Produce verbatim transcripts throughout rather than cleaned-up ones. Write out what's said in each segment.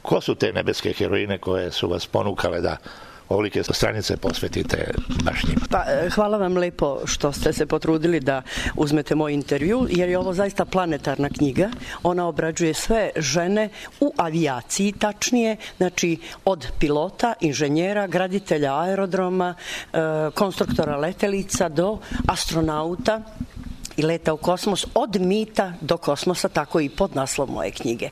Ko su te nebeske heroine koje su vas ponukale da ovolike stranice posvetite baš njima? Pa, hvala vam lepo što ste se potrudili da uzmete moj intervju, jer je ovo zaista planetarna knjiga. Ona obrađuje sve žene u avijaciji, tačnije, znači od pilota, inženjera, graditelja aerodroma, konstruktora letelica do astronauta i leta u kosmos, od mita do kosmosa, tako i pod naslov moje knjige.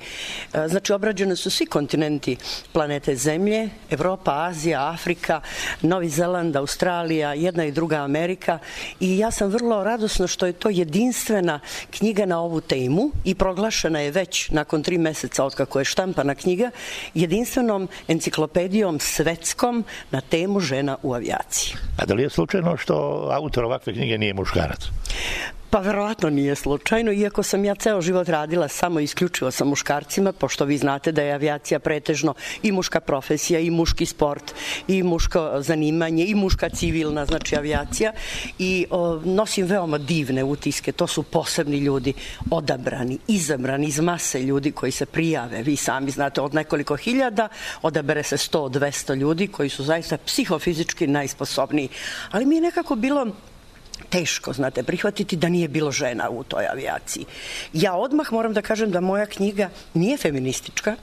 Znači, obrađene su svi kontinenti planete Zemlje, Evropa, Azija, Afrika, Novi Zeland, Australija, jedna i druga Amerika, i ja sam vrlo radosna što je to jedinstvena knjiga na ovu temu i proglašena je već nakon tri meseca od kako je štampana knjiga jedinstvenom enciklopedijom svetskom na temu žena u avijaciji. A da li je slučajno što autor ovakve knjige nije muškarac? Pa verovatno nije slučajno, iako sam ja ceo život radila samo isključivo sa muškarcima, pošto vi znate da je avijacija pretežno i muška profesija, i muški sport, i muško zanimanje, i muška civilna, znači avijacija, i o, nosim veoma divne utiske. To su posebni ljudi, odabrani, izabrani iz mase ljudi koji se prijave. Vi sami znate, od nekoliko hiljada odabere se sto do dvesta ljudi koji su zaista psihofizički najsposobniji. Ali mi je nekako bilo teško, znate, prihvatiti da nije bilo žena u toj avijaciji. Ja odmah moram da kažem da moja knjiga nije feministička.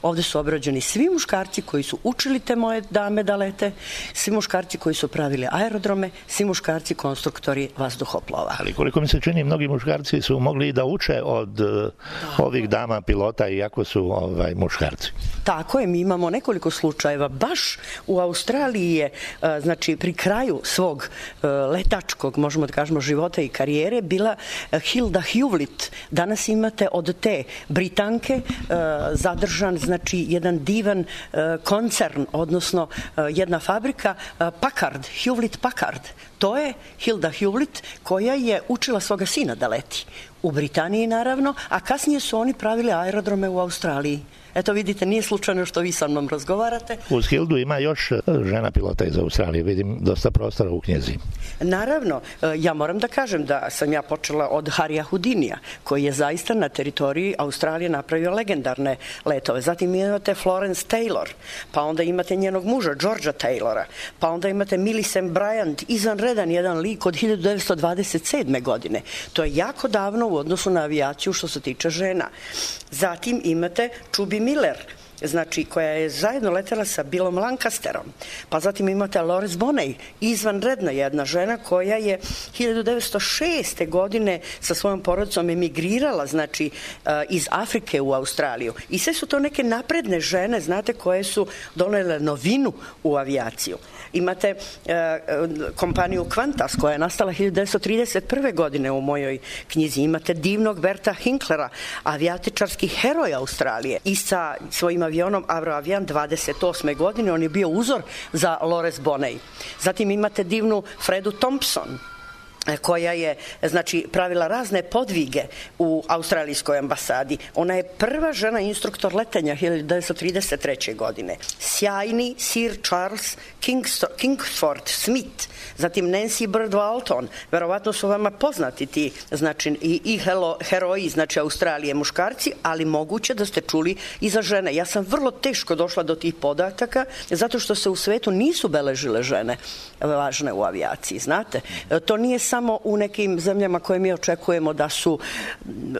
Ovde su obrađeni svi muškarci koji su učili te moje dame da lete, svi muškarci koji su pravili aerodrome, svi muškarci konstruktori vazduhoplova. Ali koliko mi se čini, mnogi muškarci su mogli da uče od da. ovih dama pilota, iako su ovaj, muškarci. Tako je, mi imamo nekoliko slučajeva. Baš u Australiji je, znači, pri kraju svog letačkog, možemo da kažemo, života i karijere bila Hilda Hewlett. Danas imate od te Britanke zadržan, znači, jedan divan uh, koncern, odnosno uh, jedna fabrika, uh, Packard, Hewlett Packard. To je Hilda Hewlett koja je učila svoga sina da leti. U Britaniji, naravno, a kasnije su oni pravili aerodrome u Australiji. Eto, vidite, nije slučajno što vi sa mnom razgovarate. Uz Hildu ima još žena pilota iz Australije, vidim dosta prostora u knjizi. Naravno, ja moram da kažem da sam ja počela od Harija Houdinija, koji je zaista na teritoriji Australije napravio legendarne letove. Zatim imate Florence Taylor, pa onda imate njenog muža, Georgea Taylora, pa onda imate Millicent Bryant, izvanredan jedan lik od hiljadu devetsto dvadeset sedme. godine. To je jako davno u odnosu na avijaciju što se tiče žena. Zatim imate Chubby Miller, znači, koja je zajedno letela sa Billom Lancasterom. Pa zatim imate Loris Bonney, izvanredna jedna žena koja je hiljadu devetsto šeste. godine sa svojom porodicom emigrirala, znači, iz Afrike u Australiju. I sve su to neke napredne žene, znate, koje su donele novinu u avijaciju. Imate e, kompaniju Qantas koja je nastala hiljadu devetsto trideset prve. godine u mojoj knjizi. Imate divnog Berta Hinklera, avijatičarski heroj Australije, i sa svojim avionom Avroavian dvadeset osme. godine on je bio uzor za Loris Bonney. Zatim imate divnu Fredu Thompson, koja je, znači, pravila razne podvige u australijskoj ambasadi. Ona je prva žena instruktor letenja hiljadu devetsto trideset treće. godine. Sjajni Sir Charles Kingsford Smith, zatim Nancy Bird Walton, verovatno su vama poznati ti, znači, i, i hero, heroji, znači, Australije, muškarci, ali moguće da ste čuli i za žene. Ja sam vrlo teško došla do tih podataka, zato što se u svetu nisu beležile žene važne u avijaciji, znate. To nije samo u nekim zemljama koje mi očekujemo da su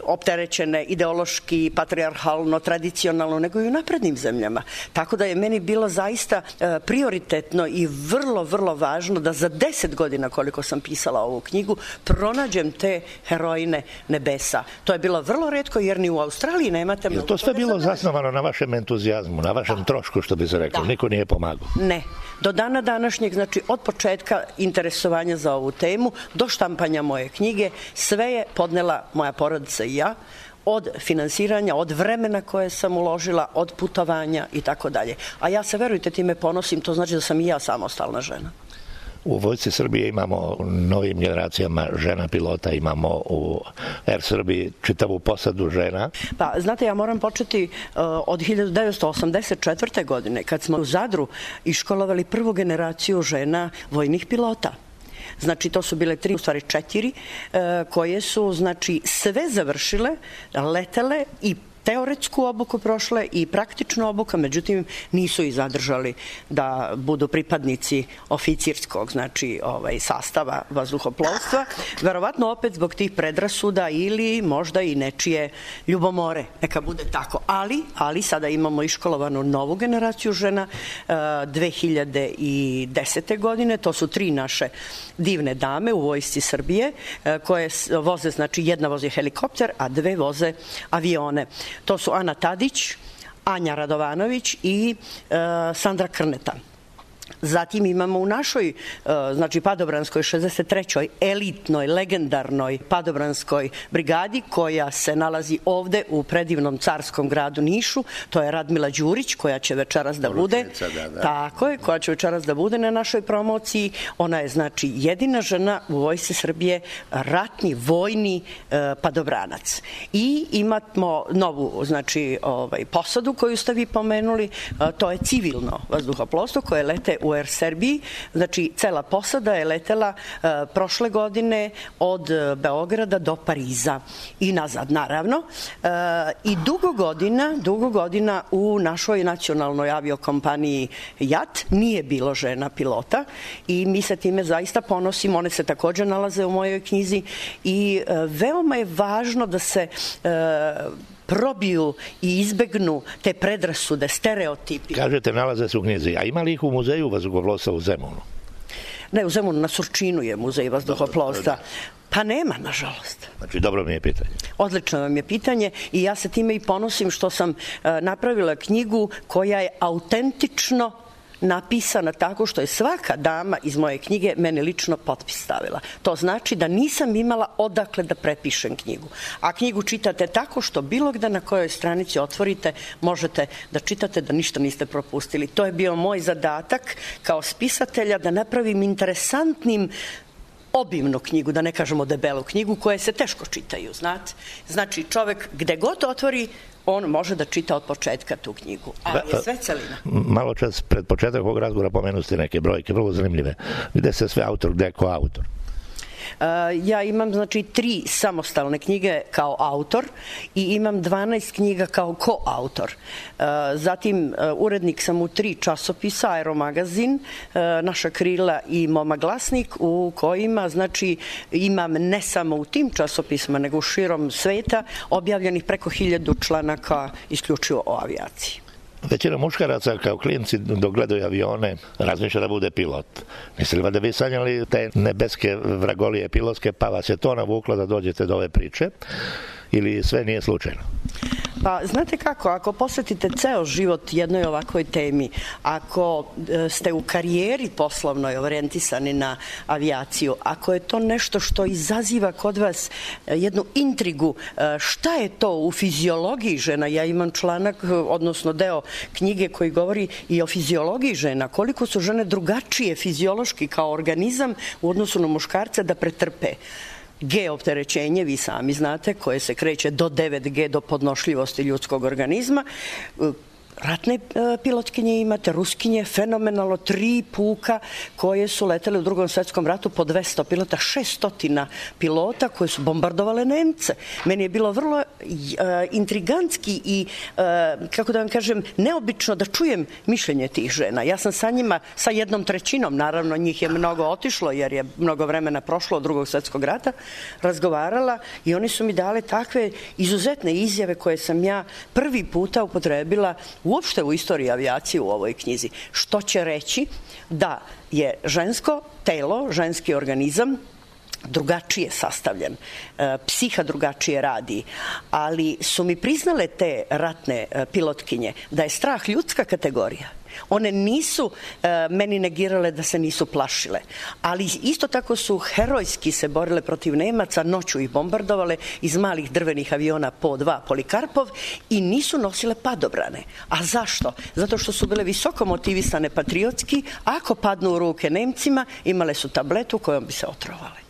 opterećene ideološki, patrijarhalno, tradicionalno, nego i u naprednim zemljama. Tako da je meni bilo zaista prioritetno i vrlo, vrlo važno da za deset godina, koliko sam pisala ovu knjigu, pronađem te heroine nebesa. To je bilo vrlo retko, jer ni u Australiji nemate mnogo. Je to sve bilo zasnovano na vašem entuzijazmu, na vašem da. trošku, što bi se reklo? Da. Niko nije pomagao? Ne. Do dana današnjeg, znači od početka interesovanja za ovu temu do štampanja moje knjige, sve je podnela moja porodica i ja, od finansiranja, od vremena koje sam uložila, od putovanja i tako dalje. A ja se, verujte, time ponosim, to znači da sam i ja samostalna žena. U Vojsci Srbije imamo novim generacijama žena pilota, imamo u Er Srbiji čitavu posadu žena. Pa, znate, ja moram početi uh, od hiljadu devetsto osamdeset četvrte. godine, kad smo u Zadru iškolovali prvu generaciju žena vojnih pilota. Znači, to su bile tri, u stvari četiri, uh, koje su, znači, sve završile, letele i teoretsku obuku prošle i praktičnu obuku, međutim nisu ih zadržali da budu pripadnici oficirskog, znači ovaj, sastava vazduhoplovstva. Verovatno opet zbog tih predrasuda ili možda i nečije ljubomore. Neka bude tako. Ali, ali sada imamo iškolovanu novu generaciju žena dve hiljade desete. godine. To su tri naše divne dame u Vojsci Srbije koje voze, znači jedna vozi helikopter, a dve voze avione. To su Ana Tadić, Anja Radovanović i e, Sandra Krneta. Zatim imamo u našoj, znači Padobranskoj šezdeset trećoj elitnoj, legendarnoj Padobranskoj brigadi koja se nalazi ovde u predivnom carskom gradu Nišu, to je Radmila Đurić koja će večeras da bude, da, da. tako je, koja će večeras da bude na našoj promociji. Ona je znači jedina žena u Vojsci Srbije, ratni, vojni eh, padobranac. I imamo novu, znači, ovaj, posadu koju ste vi pomenuli, eh, to je civilno vazduhoplovstvo koje lete u Air Serbiji, znači cela posada je letela uh, prošle godine od Beograda do Pariza i nazad, naravno. Uh, I dugo godina, dugo godina u našoj nacionalnoj aviokompaniji J A T nije bilo žena pilota i mi se time zaista ponosimo. One se takođe nalaze u mojoj knjizi i uh, veoma je važno da se uh, probiju i izbegnu te predrasude, stereotipi. Kažete, nalaze se u knjizi. A ima li ih u muzeju vazduhoplovstva u Zemunu? Ne, u Zemunu, na Surčinu je muzej vazduhoplovstva. Pa nema, nažalost. Znači, dobro mi je pitanje. Odlično vam je pitanje i ja se time i ponosim što sam uh, napravila knjigu koja je autentično napisana tako što je svaka dama iz moje knjige meni lično potpis stavila. To znači da nisam imala odakle da prepišem knjigu. A knjigu čitate tako što bilo gde na kojoj stranici otvorite možete da čitate da ništa niste propustili. To je bio moj zadatak kao spisatelja da napravim interesantnim obimnu knjigu, da ne kažemo debelu knjigu, koje se teško čitaju, znate. Znači, čovek gde god otvori, on može da čita od početka tu knjigu, ali je sve celina. Malo čas pred početak ovog razgovora pomenuste neke brojke, vrlo zanimljive. Gde se sve autor, gde je ko autor? Ja imam, znači, tri samostalne knjige kao autor i imam dvanaest knjiga kao koautor. Zatim, urednik sam u tri časopisa, Aeromagazin, Naša krila i Moma glasnik, u kojima, znači, imam ne samo u tim časopisima, nego u širom sveta, objavljenih preko hiljadu članaka isključivo o avijaciji. Većina muškaraca kao klinci dok gledaju avione razmišlja da bude pilot. Mislili da vi sanjali te nebeske vragolije pilotske, pa vas je to navuklo da dođete do ove priče ili sve nije slučajno? Pa, znate kako, ako posvetite ceo život jednoj ovakvoj temi, ako ste u karijeri poslovnoj orijentisani na avijaciju, ako je to nešto što izaziva kod vas jednu intrigu, šta je to u fiziologiji žena? Ja imam članak, odnosno deo knjige koji govori i o fiziologiji žena, koliko su žene drugačije fiziološki kao organizam u odnosu na muškarce da pretrpe G opterećenje, vi sami znate, koje se kreće do devet G do podnošljivosti ljudskog organizma. Ratne pilotkinje imate, ruskinje, fenomenalno, tri puka koje su letele u Drugom svetskom ratu po dvesta pilota, šeststotina pilota koje su bombardovale Nemce. Meni je bilo vrlo uh, intrigantski i, uh, kako da vam kažem, neobično da čujem mišljenje tih žena. Ja sam sa njima, sa jednom trećinom, naravno njih je mnogo otišlo jer je mnogo vremena prošlo od Drugog svetskog rata, razgovarala i oni su mi dale takve izuzetne izjave koje sam ja prvi puta upotrebila uopšte u istoriji avijacije u ovoj knjizi. Što će reći da je žensko telo, ženski organizam drugačije sastavljen, psiha drugačije radi, ali su mi priznale te ratne pilotkinje da je strah ljudska kategorija. One nisu e, meni negirale da se nisu plašile, ali isto tako su herojski se borile protiv Nemaca, noću ih bombardovale iz malih drvenih aviona po dva Polikarpov i nisu nosile padobrane. A zašto? Zato što su bile visoko motivisane patriotski, ako padnu u ruke Nemcima, imale su tabletu kojom bi se otrovale.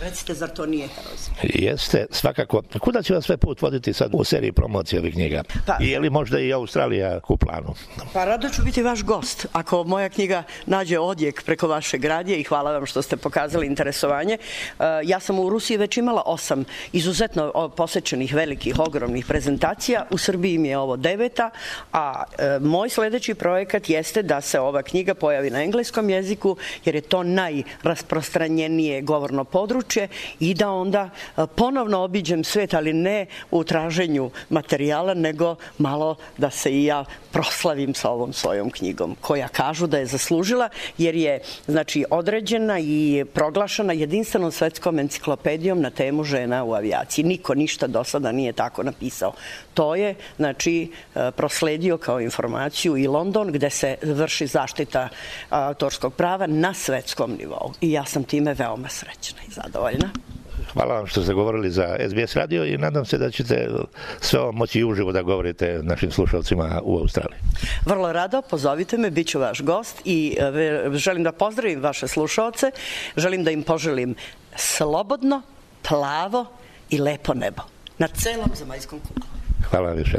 Recite, zar to nije herojski? Jeste, svakako. Kuda će vas sve put voditi sad u seriji promocije ovih knjiga? Pa, I je li možda i Australija u planu? Pa rado ću biti vaš gost. Ako moja knjiga nađe odjek preko vašeg radija i hvala vam što ste pokazali interesovanje. Ja sam u Rusiji već imala osam izuzetno posećenih velikih, ogromnih prezentacija. U Srbiji mi je ovo deveta, a moj sledeći projekat jeste da se ova knjiga pojavi na engleskom jeziku, jer je to najrasprostranjenije govorno područje i da onda ponovno obiđem svet, ali ne u traženju materijala, nego malo da se i ja proslavim sa ovom svojom knjigom, koja kažu da je zaslužila, jer je znači određena i proglašena jedinstvenom svetskom enciklopedijom na temu žena u avijaciji. Niko ništa do sada nije tako napisao. To je, znači, prosledio kao informaciju i London, gde se vrši zaštita autorskog prava na svetskom nivou. I ja sam time veoma srećna i zadovoljna. Hvala vam što ste govorili za S B S radio i nadam se da ćete sve ovo moći i uživo da govorite našim slušalcima u Australiji. Vrlo rado, pozovite me, bit ću vaš gost i želim da pozdravim vaše slušalce, želim da im poželim slobodno, plavo i lepo nebo na celom zemaljskom kuglu. Hvala vam više.